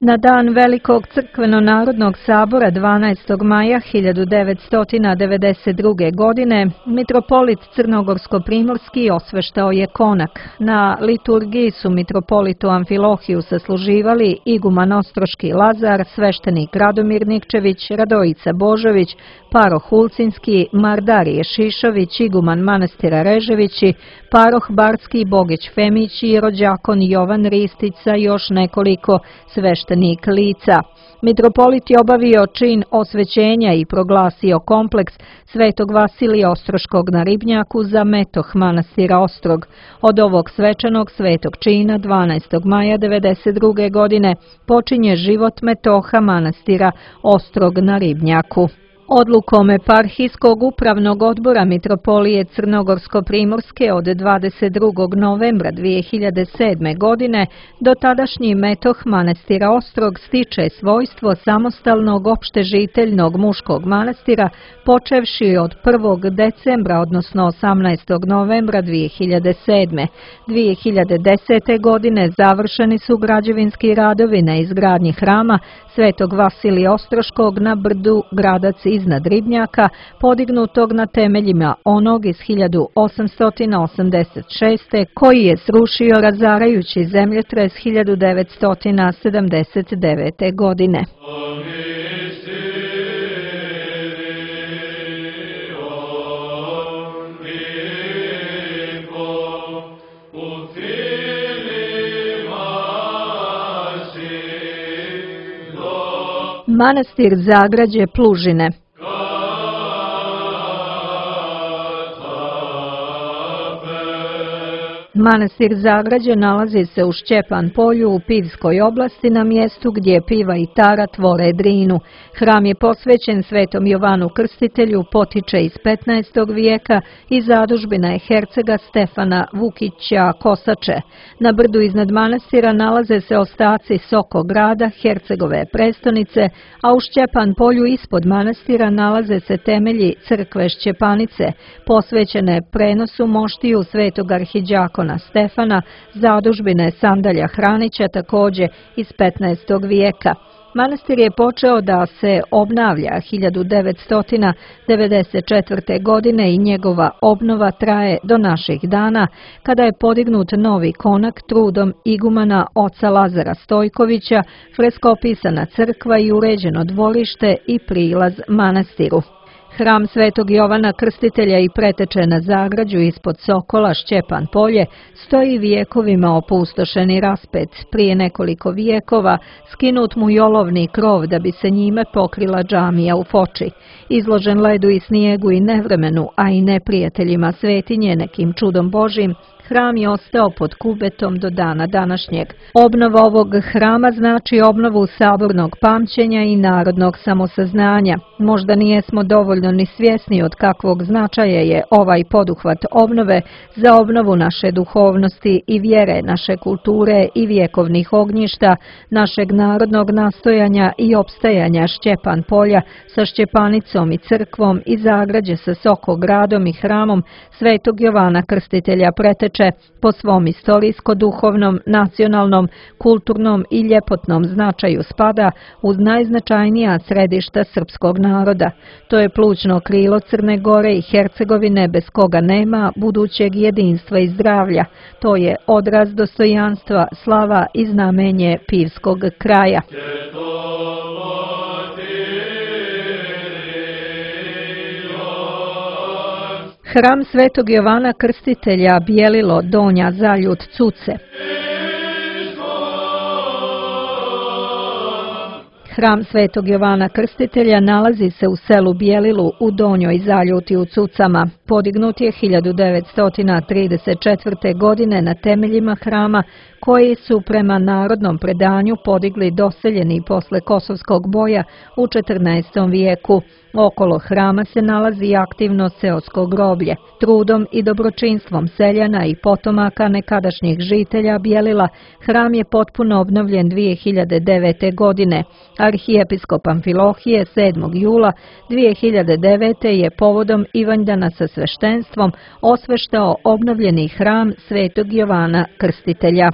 Na dan Velikog crkveno-narodnog sabora dvanaestog maja hiljadu devetsto devedeset druge. godine mitropolit Crnogorsko-primorski osveštao je konak. Na liturgiji su mitropolitu Amfilohiju sasluživali iguman Ostroški Lazar, sveštenik Radomir Nikčević, Radojica Božović, paroh Ulcinski, Mardarije Šišović, iguman manastira Reževići, paroh Barski Bogić Femić i rođakon Jovan Ristić sa još nekoliko sveštenik lica. Mitropolit je obavio čin osvećenja i proglasio kompleks Svetog Vasilija Ostroškog na Ribnjaku za metoh manastira Ostrog. Od ovog svečanog svetog čina dvanaestog maja devedeset druge. godine počinje život metoha manastira Ostrog na Ribnjaku. Odlukom Eparhijskog upravnog odbora Mitropolije Crnogorsko-primorske od dvadeset drugog novembra dvije hiljade sedme. godine dotadašnji metoh manastira Ostrog stiče svojstvo samostalnog opštežiteljnog muškog manastira počevši od prvog decembra, odnosno osamnaestog novembra dvije hiljade sedme. dvije hiljade desete. godine završeni su građevinski radovi na izgradnji hrama Svetog Vasilija Ostroškog na brdu Gradac iznad Ribnjaka, podignutog na temeljima onog iz hiljadu osamsto osamdeset šeste. koji je srušio razarajući zemljotres hiljadu devetsto sedamdeset devete. godine. Manastir Zagrađe Plužine. Manastir Zagrađe nalazi se u Šćepan polju u Pivskoj oblasti na mjestu gdje Piva i Tara tvore Drinu. Hram je posvećen Svetom Jovanu Krstitelju, potiče iz petnaestog. vijeka i zadužbina je hercega Stefana Vukića Kosače. Na brdu iznad manastira nalaze se ostaci Sokograda, hercegove prestonice, a u Šćepan polju ispod manastira nalaze se temelji crkve Šćepanice, posvećene prenosu moštiju svetog arhidjakona Stefana, zadužbine Sandalja Hranića također iz petnaestog. vijeka. Manastir je počeo da se obnavlja hiljadu devetsto devedeset četvrte. godine i njegova obnova traje do naših dana, kada je podignut novi konak trudom igumana oca Lazara Stojkovića, freskopisana crkva i uređeno dvorište i prilaz manastiru. Hram Svetog Jovana Krstitelja i preteče na Zagrađu ispod Sokola Šćepan polje stoji vijekovima opustošeni raspet. Prije nekoliko vijekova skinut mu i olovni krov da bi se njime pokrila džamija u Foči. Izložen ledu i snijegu i nevremenu, a i neprijateljima svetinje nekim čudom Božim, hram je ostao pod kubetom do dana današnjeg. Obnova ovog hrama znači obnovu sabornog pamćenja i narodnog samosaznanja. Možda nijesmo dovoljno ni svjesni od kakvog značaja je ovaj poduhvat obnove za obnovu naše duhovnosti i vjere, naše kulture i vjekovnih ognjišta, našeg narodnog nastojanja i opstajanja Šćepan polja sa Šćepanicom i crkvom i Zagrađe sa Sokogradom i hramom Svetog Jovana Krstitelja preteče po svom istorijsko-duhovnom, nacionalnom, kulturnom i ljepotnom značaju spada uz najznačajnija središta srpskog naroda. To je plućno krilo Crne Gore i Hercegovine bez koga nema budućeg jedinstva i zdravlja. To je odraz dostojanstva, slava i znamenje Pivskog kraja. Hram Svetog Jovana Krstitelja Bijelilo, Donja Zaljut, Cuce. Hram Svetog Jovana Krstitelja nalazi se u selu Bijelilu u Donjoj Zaljuti u Cucama. Podignut je hiljadu devetsto trideset četvrte. godine na temeljima hrama koji su prema narodnom predanju podigli doseljeni posle Kosovskog boja u četrnaestom. vijeku. Okolo hrama se nalazi aktivno seosko groblje. Trudom i dobročinstvom seljana i potomaka nekadašnjih žitelja Bijelila, hram je potpuno obnovljen dvije hiljade devete. godine. Arhijepiskop Amfilohije sedmog jula dvije hiljade devete. je povodom Ivanjdana sa sveštenstvom osveštao obnovljeni hram Svetog Jovana Krstitelja.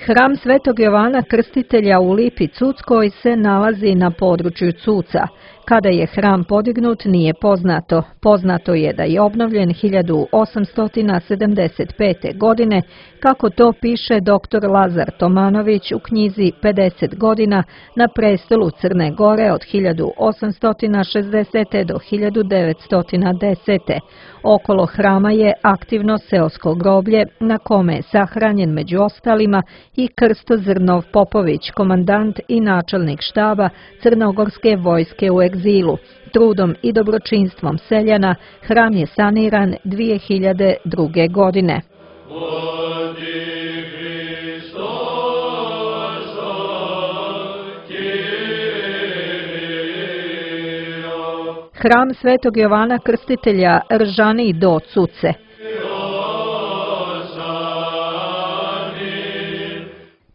Hram Svetog Jovana Krstitelja u Lipi Cuckoj se nalazi na području Cuca. Kada je hram podignut nije poznato. Poznato je da je obnovljen hiljadu osamsto sedamdeset pete. godine, kako to piše doktor Lazar Tomanović u knjizi pedeset godina na prestolu Crne Gore od hiljadu osamsto šezdesete. do hiljadu devetsto desete. Okolo hrama je aktivno seosko groblje na kome je sahranjen među ostalima i Krsto Zrnov Popović, komandant i načelnik štaba Crnogorske vojske u egzilu. Trudom i dobročinstvom seljana hram je saniran dvije hiljade druge. godine. Hram Svetog Jovana Krstitelja Ržani do Cuce.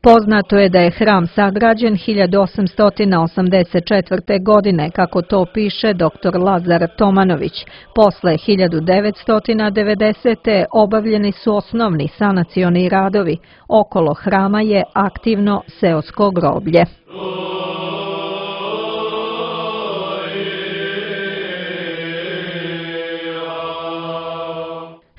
Poznato je da je hram sagrađen hiljadu osamsto osamdeset četvrte. godine, kako to piše doktor Lazar Tomanović. Posle hiljadu devetsto devedesete. obavljeni su osnovni sanacioni radovi. Okolo hrama je aktivno seosko groblje.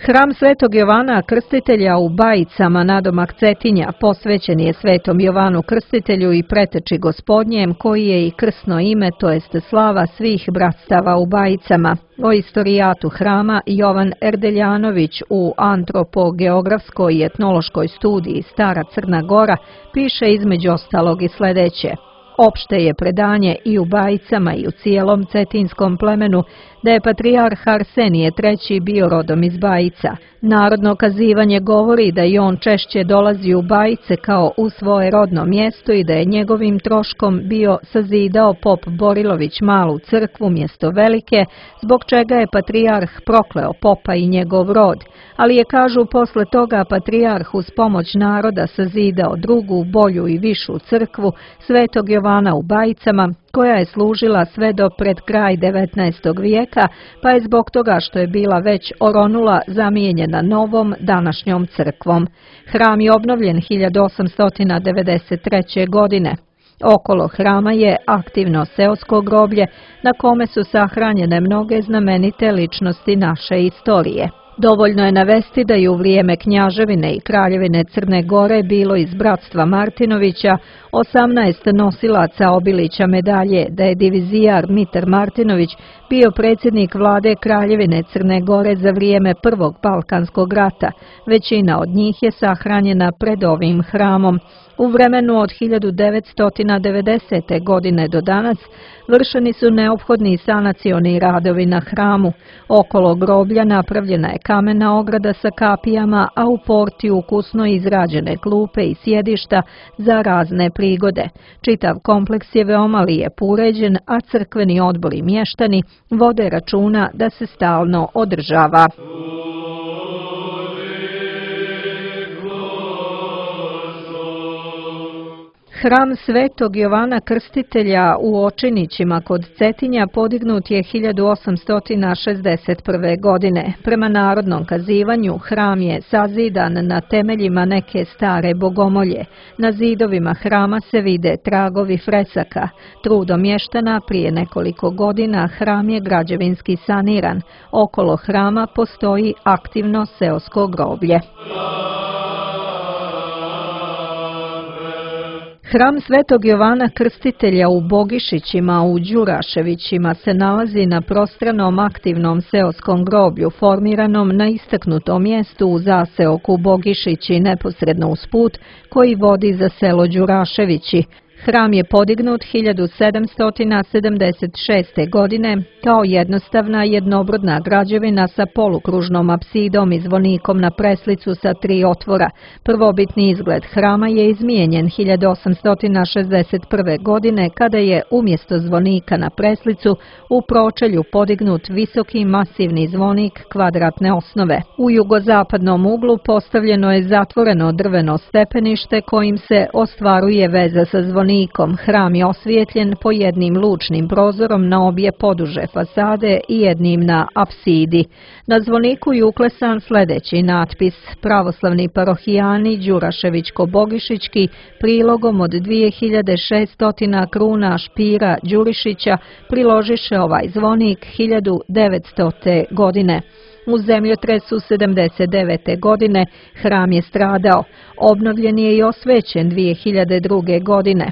Hram Svetog Jovana Krstitelja u Bajicama nadomak Cetinja posvećen je Svetom Jovanu Krstitelju i preteči Gospodnjem, koji je i krsno ime, to jest slava svih bratstava u Bajicama. O istorijatu hrama Jovan Erdeljanović u antropogeografskoj i etnološkoj studiji Stara Crna Gora piše između ostalog i sledeće. Opšte je predanje i u Bajicama i u cijelom cetinskom plemenu da je patrijarh Arsenije treći. bio rodom iz Bajica. Narodno kazivanje govori da i on češće dolazi u Bajice kao u svoje rodno mjesto i da je njegovim troškom bio sazidao pop Borilović malu crkvu mjesto velike, zbog čega je patrijarh prokleo popa i njegov rod, ali je, kažu, posle toga patrijarh uz pomoć naroda sazidao drugu, bolju i višu crkvu Svetog Jovana u Bajicama, koja je služila sve do pred kraj devetnaestog. vijeka, pa je zbog toga što je bila već oronula zamijenjena novom današnjom crkvom. Hram je obnovljen hiljadu osamsto devedeset treće. godine. Okolo hrama je aktivno seosko groblje na kome su sahranjene mnoge znamenite ličnosti naše istorije. Dovoljno je navesti da je u vrijeme Knjaževine i Kraljevine Crne Gore bilo iz bratstva Martinovića osamnaest nosilaca Obilića medalje, da je divizijar Mitar Martinović bio predsjednik vlade Kraljevine Crne Gore za vrijeme Prvog Balkanskog rata. Većina od njih je sahranjena pred ovim hramom. U vremenu od hiljadu devetsto devedesete. godine do danas vršeni su neophodni sanacioni radovi na hramu. Okolo groblja napravljena je kamena ograda sa kapijama, a u porti ukusno izrađene klupe i sjedišta za razne prigode. Čitav kompleks je veoma lijepo uređen, a crkveni odbor i mještani vode računa da se stalno održava. Hram Svetog Jovana Krstitelja u Očinićima kod Cetinja podignut je hiljadu osamsto šezdeset prve. godine. Prema narodnom kazivanju, hram je sazidan na temeljima neke stare bogomolje. Na zidovima hrama se vide tragovi fresaka. Trudom mještana prije nekoliko godina hram je građevinski saniran. Okolo hrama postoji aktivno seosko groblje. Hram Svetog Jovana Krstitelja u Bogišićima u Đuraševićima se nalazi na prostranom aktivnom seoskom groblju formiranom na istaknutom mjestu u zaseoku Bogišići neposredno uz put koji vodi za selo Đuraševići. Hram je podignut hiljadu sedamsto sedamdeset šeste. godine kao jednostavna jednobrodna građevina sa polukružnom apsidom i zvonikom na preslicu sa tri otvora. Prvobitni izgled hrama je izmijenjen hiljadu osamsto šezdeset prve. godine kada je umjesto zvonika na preslicu u pročelju podignut visoki masivni zvonik kvadratne osnove. U jugozapadnom uglu postavljeno je zatvoreno drveno stepenište kojim se ostvaruje veza sa zvonikom zvonikom. Hram je osvijetljen po jednim lučnim prozorom na obje poduže fasade i jednim na apsidi. Na zvoniku je uklesan sljedeći natpis: Pravoslavni parohijani Đuraševićko-Bogišićki prilogom od dvije hiljade šeststo kruna Špira Đurišića priložiše ovaj zvonik hiljadu devetstote. godine. U zemljotresu sedamdeset devete. godine hram je stradao. Obnovljen je i osvećen dvije hiljade druge. godine.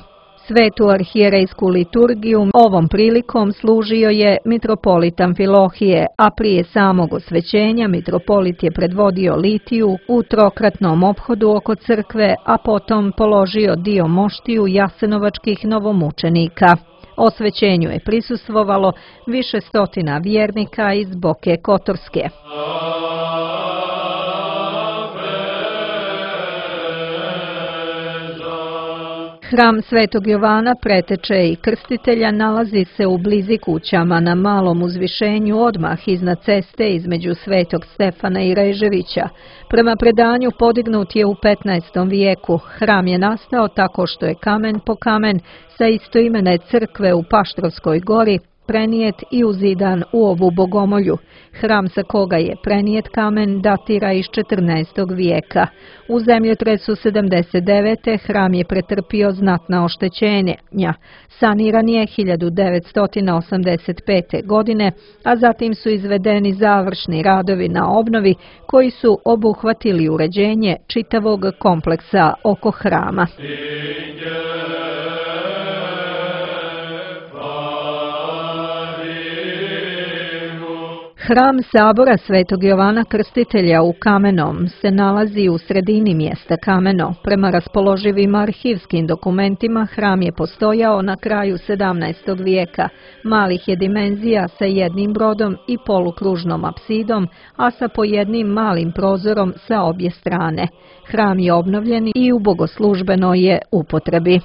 Svetu arhijerejsku liturgiju ovom prilikom služio je mitropolit Amfilohije, a prije samog osvećenja mitropolit je predvodio litiju u trokratnom ophodu oko crkve, a potom položio dio moštiju jasenovačkih novomučenika. Osvećenju je prisustvovalo više stotina vjernika iz Boke Kotorske. Hram Svetog Jovana, preteče i krstitelja, nalazi se u blizi kućama na malom uzvišenju odmah iznad ceste između Svetog Stefana i Reževića. Prema predanju podignut je u petnaestom vijeku. Hram je nastao tako što je kamen po kamen sa istoimene crkve u Paštrovskoj gori prenijet i uzidan u ovu bogomolju. Hram sa koga je prenijet kamen datira iz četrnaestog vijeka. U zemljotresu sedamdeset devete. hram je pretrpio znatna oštećenja. Saniran je hiljadu devetsto osamdeset pete. godine, a zatim su izvedeni završni radovi na obnovi koji su obuhvatili uređenje čitavog kompleksa oko hrama. Hram sabora Svetog Jovana Krstitelja u Kamenom se nalazi u sredini mjesta Kameno. Prema raspoloživim arhivskim dokumentima hram je postojao na kraju sedamnaestog vijeka. Malih je dimenzija sa jednim brodom i polukružnom apsidom, a sa po jednim malim prozorom sa obje strane. Hram je obnovljen i u bogoslužbenoj je upotrebi.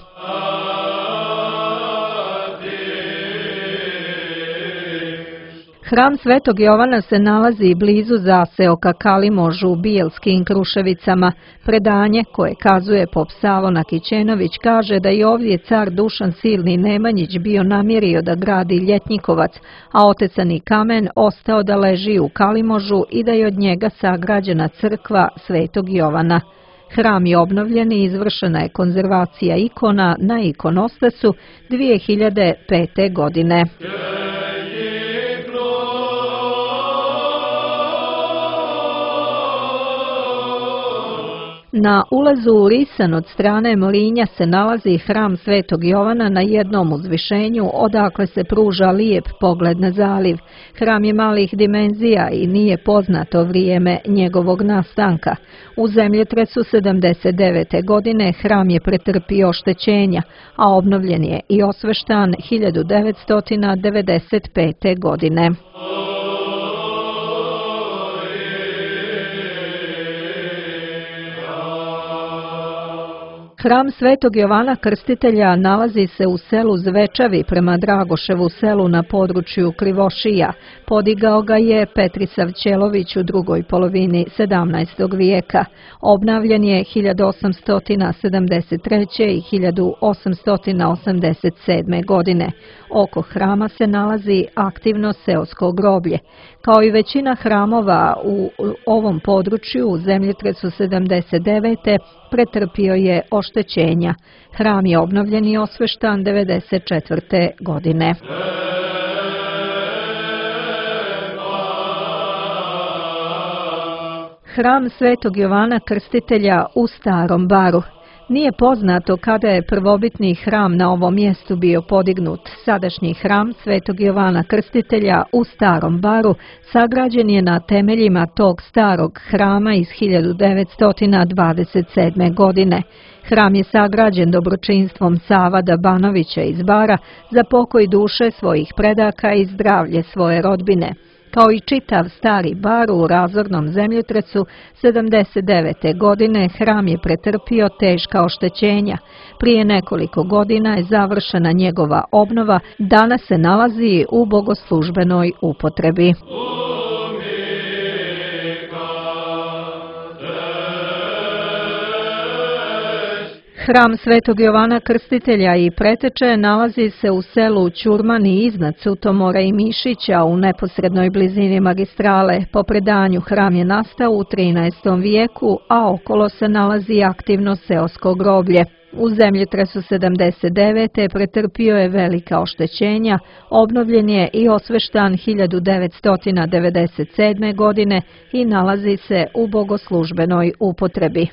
Hram Svetog Jovana se nalazi blizu zaseoka Kalimožu u Bijelskim Kruševicama. Predanje koje kazuje pop Savo Nakićenović kaže da je ovdje car Dušan Silni Nemanjić bio namjerio da gradi ljetnikovac, a otecani kamen ostao da leži u Kalimožu i da je od njega sagrađena crkva Svetog Jovana. Hram je obnovljen i izvršena je konzervacija ikona na ikonostasu dvije hiljade pete. godine. Na ulazu u Risan od strane Mlinja se nalazi hram Svetog Jovana na jednom uzvišenju, odakle se pruža lijep pogled na zaliv. Hram je malih dimenzija i nije poznato vrijeme njegovog nastanka. U zemljotresu sedamdeset devete. godine hram je pretrpio oštećenja, a obnovljen je i osveštan hiljadu devetsto devedeset pete. godine. Hram Svetog Jovana Krstitelja nalazi se u selu Zvečavi prema Dragoševu selu na području Krivošija. Podigao ga je Petrisav Ćelović u drugoj polovini sedamnaestog vijeka. Obnavljen je hiljadu osamsto sedamdeset treće. i hiljadu osamsto osamdeset sedme. godine. Oko hrama se nalazi aktivno seosko groblje. Kao i većina hramova u ovom području u zemljotresu sedamdeset devete. pretrpio je oštećenja. Hram je obnovljen i osveštan devedeset četvrte. godine. Hram Svetog Jovana Krstitelja u Starom Baru. Nije poznato kada je prvobitni hram na ovom mjestu bio podignut. Sadašnji hram Svetog Jovana Krstitelja u Starom Baru sagrađen je na temeljima tog starog hrama iz hiljadu devetsto dvadeset sedme. godine. Hram je sagrađen dobročinstvom Savada Banovića iz Bara za pokoj duše svojih predaka i zdravlje svoje rodbine. Kao i čitav Stari Bar u razornom zemljotresu sedamdeset devete. godine hram je pretrpio teška oštećenja. Prije nekoliko godina je završena njegova obnova, danas se nalazi u bogoslužbenoj upotrebi. Hram Svetog Jovana Krstitelja i preteče nalazi se u selu Ćurmani iznad Sutomora i Mišića u neposrednoj blizini magistrale. Po predanju hram je nastao u trinaestom vijeku, a okolo se nalazi aktivno seosko groblje. U zemljotresu sedamdeset devete pretrpio je velika oštećenja, obnovljen je i osveštan hiljadu devetsto devedeset sedme. godine i nalazi se u bogoslužbenoj upotrebi.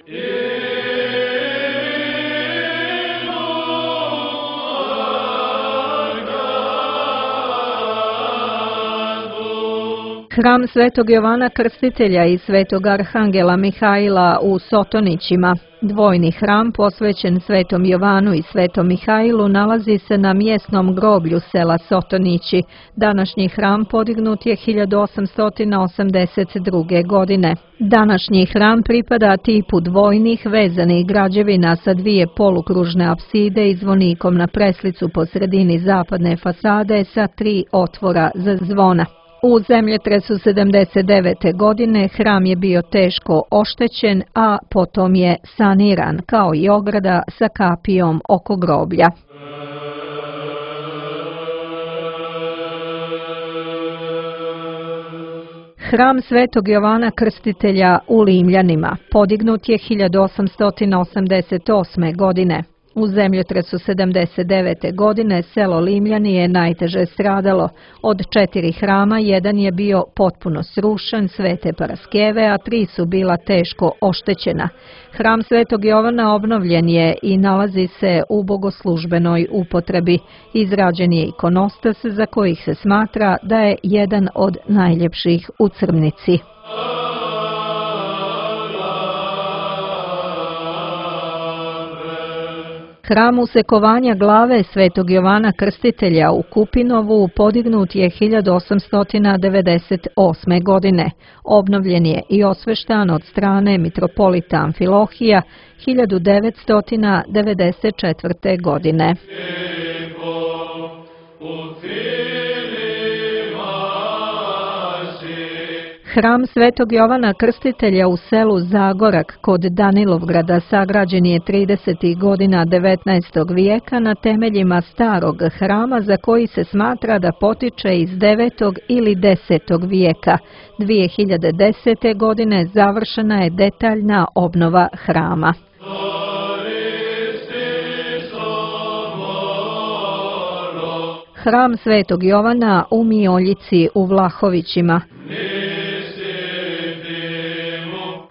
Hram Svetog Jovana Krstitelja i Svetog Arhangela Mihaila u Sotonićima. Dvojni hram posvećen Svetom Jovanu i Svetom Mihailu nalazi se na mjesnom groblju sela Sotonići. Današnji hram podignut je hiljadu osamsto osamdeset druge. godine. Današnji hram pripada tipu dvojnih vezanih građevina sa dvije polukružne apside i zvonikom na preslicu po sredini zapadne fasade sa tri otvora za zvona. U zemljotresu sedamdeset devete. godine hram je bio teško oštećen, a potom je saniran, kao i ograda sa kapijom oko groblja. Hram Svetog Jovana Krstitelja u Limljanima podignut je hiljadu osamsto osamdeset osme. godine. U zemljotresu sedamdeset devete. godine selo Limljani je najteže stradalo. Od četiri hrama jedan je bio potpuno srušen, Svete Paraskeve, a tri su bila teško oštećena. Hram Svetog Jovana obnovljen je i nalazi se u bogoslužbenoj upotrebi. Izrađen je ikonostas za kojih se smatra da je jedan od najljepših u Crmnici. Hram usekovanja glave Svetog Jovana Krstitelja u Kupinovu podignut je hiljadu osamsto devedeset osme. godine. Obnovljen je i osveštan od strane mitropolita Amfilohija hiljadu devetsto devedeset četvrte. godine. Hram Svetog Jovana Krstitelja u selu Zagorak kod Danilovgrada sagrađen je tridesetih godina devetnaestog. vijeka na temeljima starog hrama za koji se smatra da potiče iz devetog ili desetog. vijeka. dvije hiljade desete. godine završena je detaljna obnova hrama. Hram Svetog Jovana u Mioljici u Vlahovićima.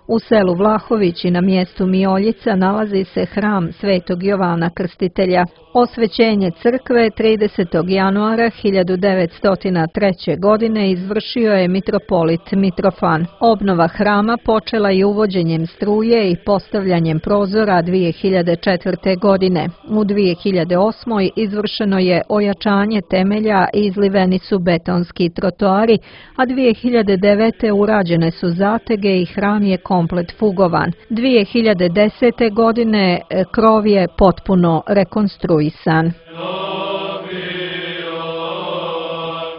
U selu Vlahovići na mjestu Mioljica nalazi se hram Svetog Jovana Krstitelja. Osvećenje crkve tridesetog januara hiljadu devetsto treće. godine izvršio je mitropolit Mitrofan. Obnova hrama počela je uvođenjem struje i postavljanjem prozora dvije hiljade četvrte. godine. U dvije hiljade osme. izvršeno je ojačanje temelja i izliveni su betonski trotoari, a dvije hiljade devete. urađene su zatege i hram je komplet fugovan. dvije hiljade desete. godine krov je potpuno rekonstruisan.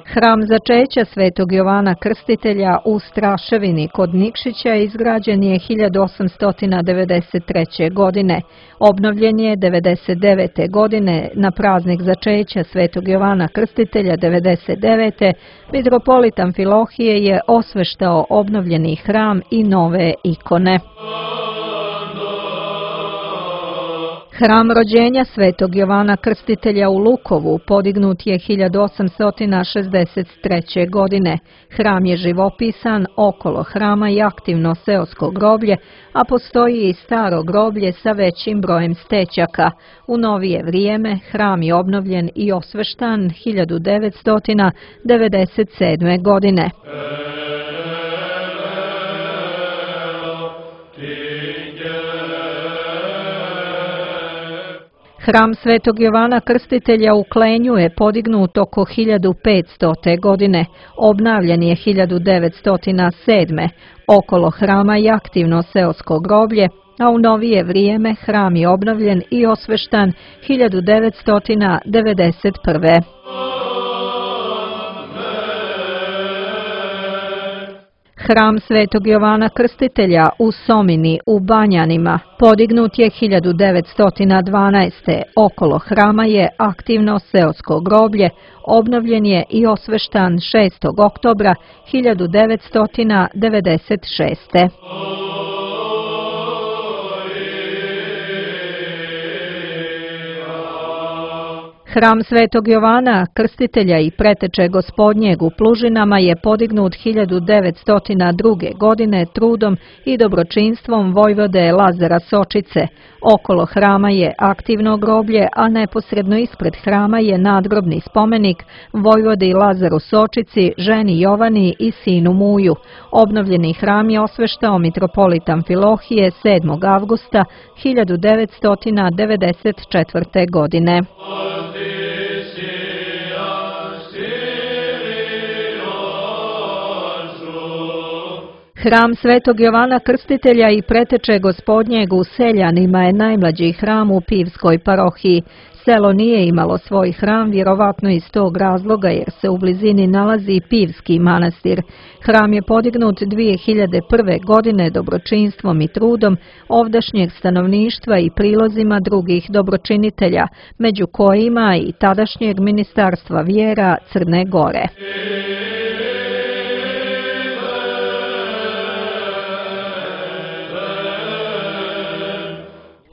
Hram začeća Svetog Jovana Krstitelja u Straševini kod Nikšića izgrađen je hiljadu osamsto devedeset treće. godine. Obnovljen je devedeset devete. godine na praznik začeća Svetog Jovana Krstitelja devedeset devete. Mitropolit Amfilohije je osveštao obnovljeni hram i nove ikone. Hram rođenja Svetog Jovana Krstitelja u Lukovu podignut je hiljadu osamsto šezdeset treće. godine. Hram je živopisan, okolo hrama je aktivno seosko groblje, a postoji i staro groblje sa većim brojem stećaka. U novije vrijeme hram je obnovljen i osveštan hiljadu devetsto devedeset sedme. godine. Hram Svetog Jovana Krstitelja u Klenju je podignut oko hiljadu petstote. godine. Obnavljen je hiljadu devetsto sedme. Okolo hrama je aktivno seosko groblje, a u novije vrijeme hram je obnovljen i osveštan hiljadu devetsto devedeset prve. Hram Svetog Jovana Krstitelja u Somini u Banjanima podignut je hiljadu devetsto dvanaeste. Okolo hrama je aktivno seosko groblje, obnovljen je i osveštan šestog oktobra hiljadu devetsto devedeset šeste. Hram Svetog Jovana Krstitelja i Preteče Gospodnjeg u Plužinama je podignut hiljadu devetsto druge. godine trudom i dobročinstvom vojvode Lazara Sočice. Okolo hrama je aktivno groblje, a neposredno ispred hrama je nadgrobni spomenik vojvodi Lazaru Sočici, ženi Jovani i sinu Muju. Obnovljeni hram je osveštao mitropolit Amfilohije sedmog avgusta hiljadu devetsto devedeset četvrte. godine. Hram Svetog Jovana Krstitelja i Preteče Gospodnjeg u Seljanima je najmlađi hram u Pivskoj parohiji. Selo nije imalo svoj hram, vjerovatno iz tog razloga jer se u blizini nalazi Pivski manastir. Hram je podignut dvije hiljade prve. godine dobročinstvom i trudom ovdašnjeg stanovništva i prilozima drugih dobročinitelja, među kojima i tadašnjeg ministarstva vjera Crne Gore.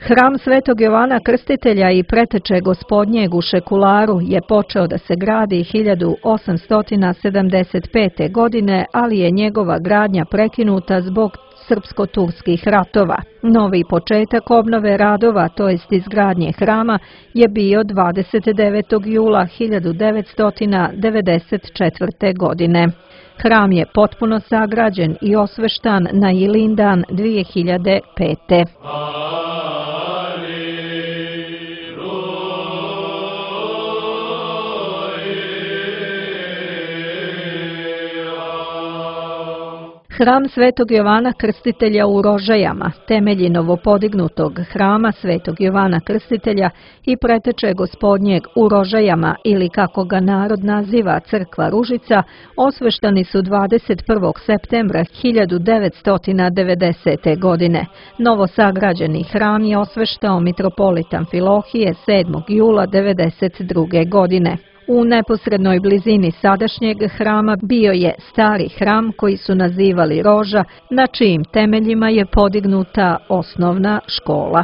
Hram Svetog Jovana Krstitelja i Preteče Gospodnjeg u Šekularu je počeo da se gradi hiljadu osamsto sedamdeset pete. godine, ali je njegova gradnja prekinuta zbog srpsko-turskih ratova. Novi početak obnove radova, to jest izgradnje hrama, je bio dvadeset devetog jula hiljadu devetsto devedeset četvrte. godine. Hram je potpuno sagrađen i osveštan na Ilindan dvije hiljade pete. Hram Svetog Jovana Krstitelja u Rožajama, temelji novopodignutog hrama Svetog Jovana Krstitelja i Preteče Gospodnjeg u Rožajama, ili kako ga narod naziva Crkva Ružica, osveštani su dvadeset prvog septembra hiljadu devetsto devedesete. godine. Novosagrađeni hram je osveštao mitropolit Amfilohije sedmog jula devedeset druge. godine. U neposrednoj blizini sadašnjeg hrama bio je stari hram koji su nazivali Roža, na čijim temeljima je podignuta osnovna škola.